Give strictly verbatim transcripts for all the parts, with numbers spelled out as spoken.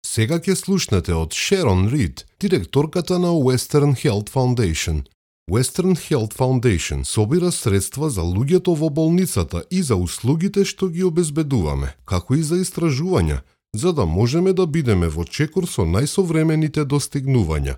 Сега ќе слушнете од Шерон Рид, директорката на Western Health Foundation. Western Health Foundation собира средства за луѓето во болницата и за услугите што ги обезбедуваме, како и за истражувања, за да можеме да бидеме во чекор со најсовремените достигнувања.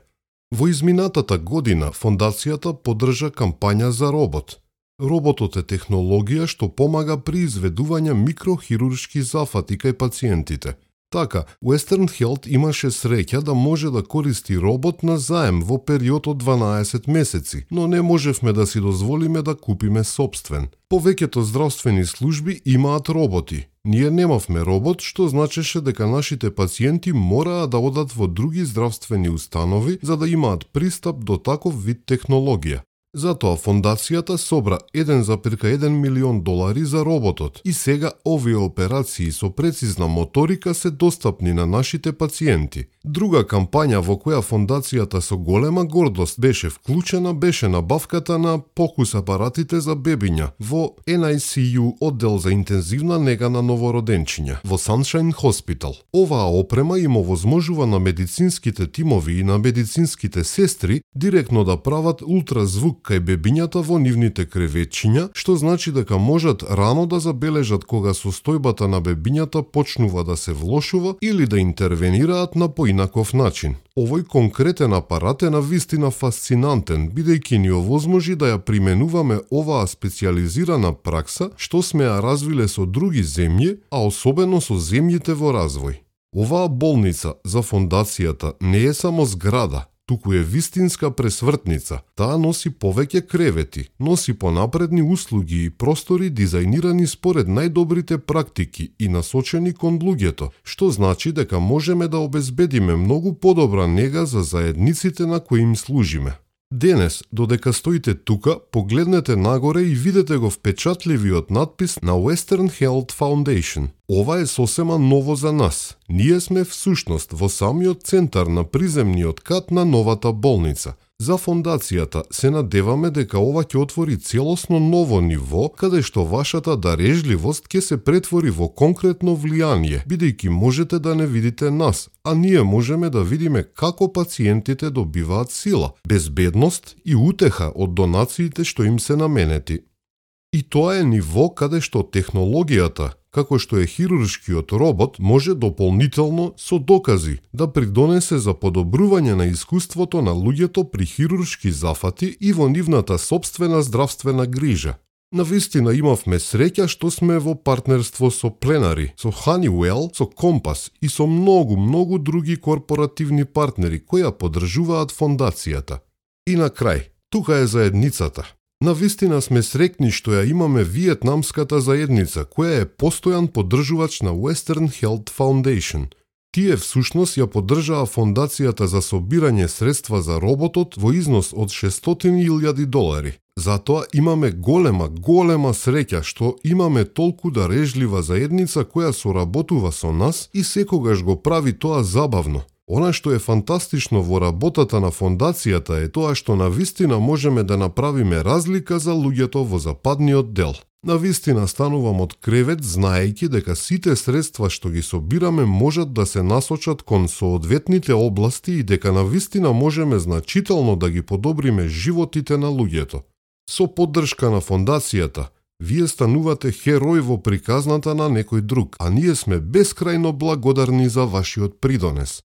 Во изминатата година фондацијата поддржа кампања за робот. Роботот е технологија што помага при изведување микрохируршки зафати кај пациентите. Така, Western Health имаше среќа да може да користи робот на заем во период од дванаесет месеци, но не можевме да си дозволиме да купиме сопствен. Повеќето здравствени служби имаат роботи. Ние немавме робот, што значеше дека нашите пациенти мораа да одат во други здравствени установи за да имаат пристап до таков вид технологија. Затоа фондацијата собра еден зарез еден милион долари за роботот и сега овие операции со прецизна моторика се достапни на нашите пациенти. Друга кампања во која фондацијата со голема гордост беше вклучена беше набавката на покус апаратите за бебиња во Ен Ај Си Ју оддел за интензивна нега на новороденчиња во Sunshine Hospital. Оваа опрема им овозможува на медицинските тимови и на медицинските сестри директно да прават ултразвук кај бебињата во нивните креветчиња, што значи дека можат рано да забележат кога состојбата на бебињата почнува да се влошува или да интервенираат на поинаков начин. Овој конкретен апарат е навистина фасцинантен, бидејќи ни овозможи да ја применуваме оваа специјализирана пракса што сме ја развиле со други земји, а особено со земјите во развој. Оваа болница за фондацијата не е само зграда, туку е вистинска пресвртница. Таа носи повеќе кревети, носи понапредни услуги и простори дизајнирани според најдобрите практики и насочени кон луѓето, што значи дека можеме да обезбедиме многу подобра нега за заедниците на кои им служиме. Денес, додека стоите тука, погледнете нагоре и видете го впечатливиот надпис на Western Health Foundation. Ова е сосема ново за нас. Ние сме всушност во самиот центар на приземниот кат на новата болница. За фондацијата се надеваме дека ова ќе отвори целосно ново ниво, каде што вашата дарежливост ќе се претвори во конкретно влијание, бидејќи можете да не видите нас, а ние можеме да видиме како пациентите добиваат сила, безбедност и утеха од донациите што им се наменети. И тоа е ниво каде што технологијата, како што е хируршкиот робот, може дополнително со докази да придонесе за подобрување на искуството на луѓето при хируршки зафати и во нивната собствена здравствена грижа. Навистина имавме среќа што сме во партнерство со Plenary, со Honeywell, со Compass и со многу, многу други корпоративни партнери кои ја поддржуваат фондацијата. И на крај, тука е заедницата. Навистина сме среќни што ја имаме виетнамската заедница, која е постојан поддржувач на Western Health Foundation. Тие всушност ја поддржаа фондацијата за собирање средства за роботот во износ од шестстотини илјади долари. Затоа имаме голема, голема среќа што имаме толку дарежлива заедница која соработува со нас и секогаш го прави тоа забавно. Она што е фантастично во работата на фондацијата е тоа што навистина можеме да направиме разлика за луѓето во западниот дел. Навистина станувам од кревет знаејќи дека сите средства што ги собираме можат да се насочат кон соодветните области и дека навистина можеме значително да ги подобриме животите на луѓето. Со поддршка на фондацијата, вие станувате херој во приказната на некој друг, а ние сме бескрајно благодарни за вашиот придонес.